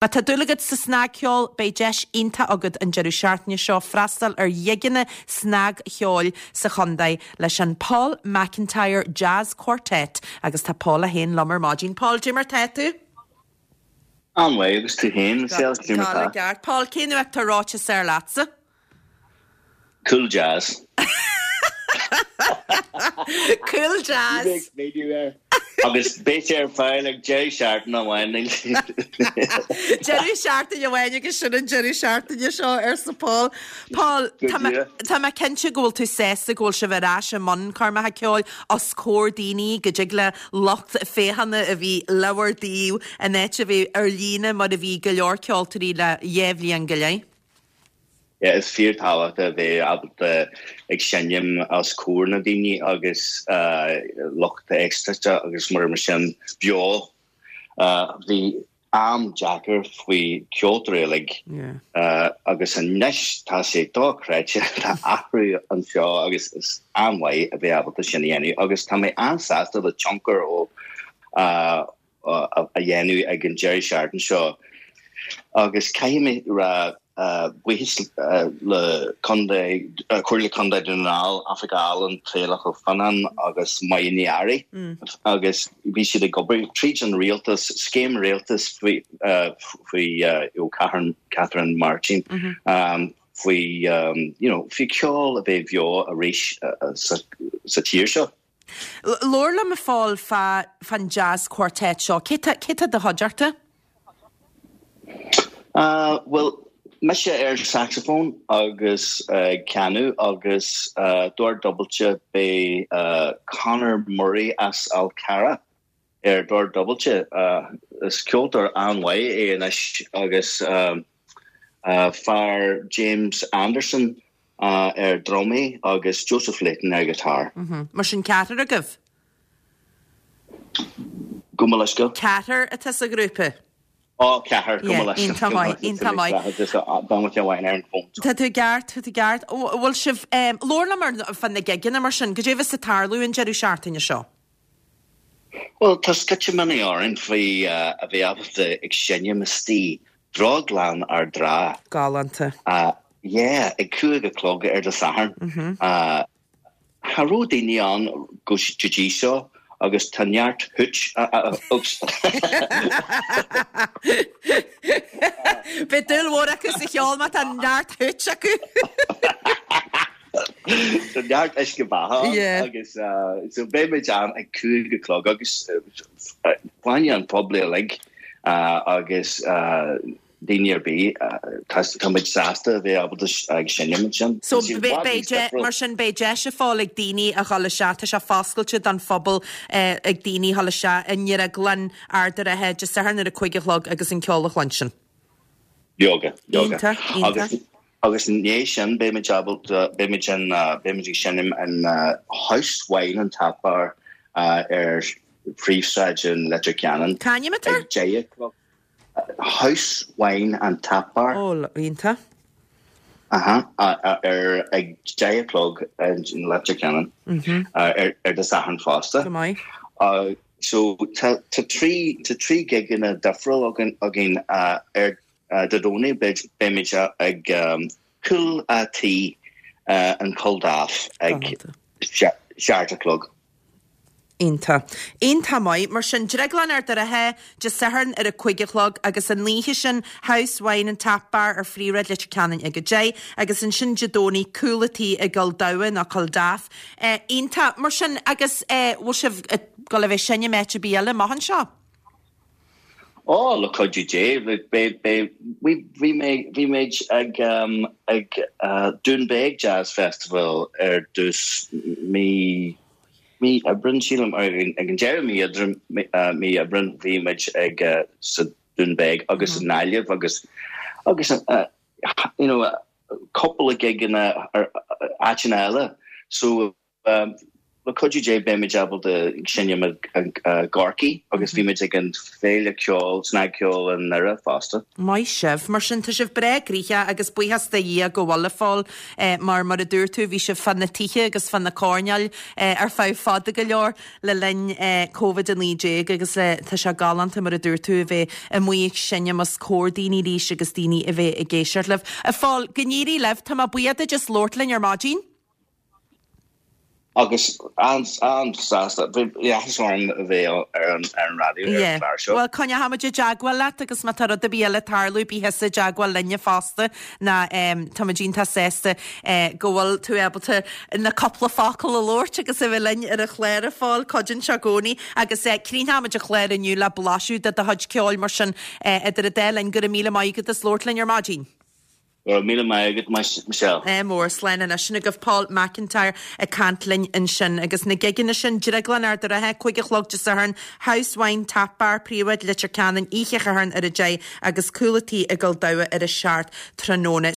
Má tá dúil agat sa snagcheol, beidh deis iontach agat an deireadh seachtaine seo freastal ar ghigeanna snagcheoil sa chontae leis an Paul McIntyre Jazz Quartet agus tá Paul é féin liom ar maidin. Paul, cad é mar tá tú? An-mhaith, agus tú féin, Michelle, cad é mar tá? Go ceart. Paul, cén uachtar reoite is fearr leatsa? Cool jazz. Cool jazz. Agus beidh sé ar fáil ag deireadh seachtaine amháin. Deireadh seachtaine amháin agus sin an deireadh seachtaine seo, arsa Paul. Paul, tá mé cinnte go bhfuil tú sásta go bhfuil sibh ar ais i mbun coirmeacha ceoil os comhair daoine, go dtig le lucht féachana a bhí le bhur dtaobh in áit a bheith ar líne mar a bhí go leor ceoltóirí le dhá bhliain go leith. Yeah, is fíor tábhachtach a bheith ábalta ag seinm os comhair na daoine agus lucht éisteachta agus mar sin beo. Bhí am deacair faoi ceoltóirí uilig agus anois tá sé dochreidte, tá athrú anseo agus is an-mhaith a bheith ábalta sin a dhéanamh agus tá mé an-sásta le tionchar ó a dhéanamh ag an deireadh seachtaine seo agus caithfidh mé rá buíochas le Contae, Comhairle Contae Dhún na nGall, Oifig Ealaíon, Traolach Ó Fionnáin agus Máire Ní Fhearraigh agus bhí siad ag obair tríd an rialtas, scéim rialtais faoi faoi Catherine, Catherine Martin faoi you know faoi ceol a bheith bheo arís sa sa tír seo. Labhair liom a Phóil fá fán Jazz Quartet seo. Cé tá cé tá i do chuideachta? Bhuel, mise ar saxophone agus ag canadh agus dord dúbailte beidh Conor Murray as Fhál Carrach ar dord dúbailte. Is ceoltóir an-mhaith é anois agus fear James Anderson ar drumaí agus Joseph Leighton ar guitar. Mar sin ceathrar agaibh? Gabh mo leithscéal? Ceathrar atá sa ghrúpa? Ó, ceathrar, gabh mo leithscéal. Iontach maith, iontach maith. Tá tú i gceart, tá tú i gceart. Bhfuil sibh, labhair liom ar fá na gigeanna mar sin, goidé a bheas ag tarlú an deireadh seachtaine seo? Bhuel, tá sceitimíní orainn faoi a bheith ábalta ag seinm istigh i Drioglann Ard an Rátha. Galánta. Yeah, ag 5 a chlog ar Dé Sathairn. Cha raibh daoine ann go dtí seo agus tá neart hooch, oops. Beidh dúil mhór acu sa cheol má tá neart hooch acu. Tá neart uisce beatha ann agus so beidh muid ann ag 5 a chlog agus fá choinne an phobail uilig agus daoine ar bith tá muid sásta a bheith ábalta ag seinm ansin. So beidh mar sin beidh deis a Phóil ag daoine a dhul isteach, tá sé foscailte don phobal ag daoine a dhul isteach i nDrioglann Ard an Rátha Dé Sathairn ar a 5 a chlog agus an ceol a chluinstin. Leoga, leoga. Iontach, iontach. Agus Agus i ndiaidh sin beimid ábalta, beimid in, beimid ag seinm in House Wine and Tap Bar ar phríomhshráid in Leitir Ceanainn. Cá hainm atá? Ag 10 a chlog. House Wine and Tap Bar. Ó, iontach. Aha, ar, ag 10 a chlog in Leitir Ceanainn ar, ar Dé Sathairn fosta. Go maith. So tá, tá trí, tá trí gigeanna difriúil againn, againn ar Dé Domhnaigh beimid ag Cúl a' Tí in Culdaff ag 7 a chlog. Iontach. Iontach maith. Mar sin, Drioglann Ard an Rátha, Dé Sathairn ar a 5 a chlog agus an oíche sin House Wine and Tap Bar ar Phríomhshráid Leitir Ceanainn ag 10 agus ansin Dé Domhnaigh Cúl a' Tí i gCill Damha nó Culdaff. Iontach. Mar sin, agus bhfuil sibh ag dul a bheith ag seinm áit ar bith eile amach anseo? Ó, le cuidiú Dé, beidh, bhí mé, bhí muid ag, ag Doonbeg Jazz Festival ar dtús mí, mí Aibreán sílim, ag an deireadh mí Aibreán, mí Aibreán bhí muid ag sa Doonbeg agus i nGaillimh agus, agus you know, cúpla gigeanna ar áiteanna eile. So, le. Le cuidiú Dé beimid ábalta seinm i gCorcaigh agus bhí muid ag an Féile Ceoil, Snagcheoil i nDoire fosta. Maith sibh. Mar sin, tá sibh breá gnoitheach agus buíochas do Dhia go bhfuil, a Phóil, mar mar a dúirt tú, bhí sibh fá na tithe agus fá na coirnéil ar feadh fada go leor le linn Covid-19 agus tá sé galánta, mar a dúirt tú, a bheith amuigh ag seinm os comhair daoine arís agus daoine a bheith ag éisteacht libh. A Phóil, go n-éirí libh. Tá mé buíoch duit as labhairt linn ar maidin. Agus an-sásta, bhí áthas orm a bheith ar an raidió ar an chlár seo. Bhuel, coinneochaimid i dteagmháil leat agus má tá rud ar bith eile ag tarlú, bí thusa i dteagmháil linne fosta ná táimid iontach sásta go bhfuil tú ábalta na cúpla focal a labhairt agus a bheith linn ar an chlár a Phóil, cuidíonn sé i gcónaí agus críochnóimid an clár inniu le blaiseadh de do chuid ceoil mar sin idir an dá linn, go raibh míle maith agat as labhairt linn ar maidin. Go raibh míle maith agat, Michelle. Ádh mór, slán anois. Sin agaibh Paul McIntyre ag caint linn ansin. Agus na gigeanna sin, Drioglann Ard a' Rátha, 5 a chlog Dé Sathairn, House Wine Tap Bar, Príomhshráid Leitir Ceanainn, oíche Shathairn ar a 10 agus Cúl a' Tí i gCill Dara ar a 7 tráthnóna.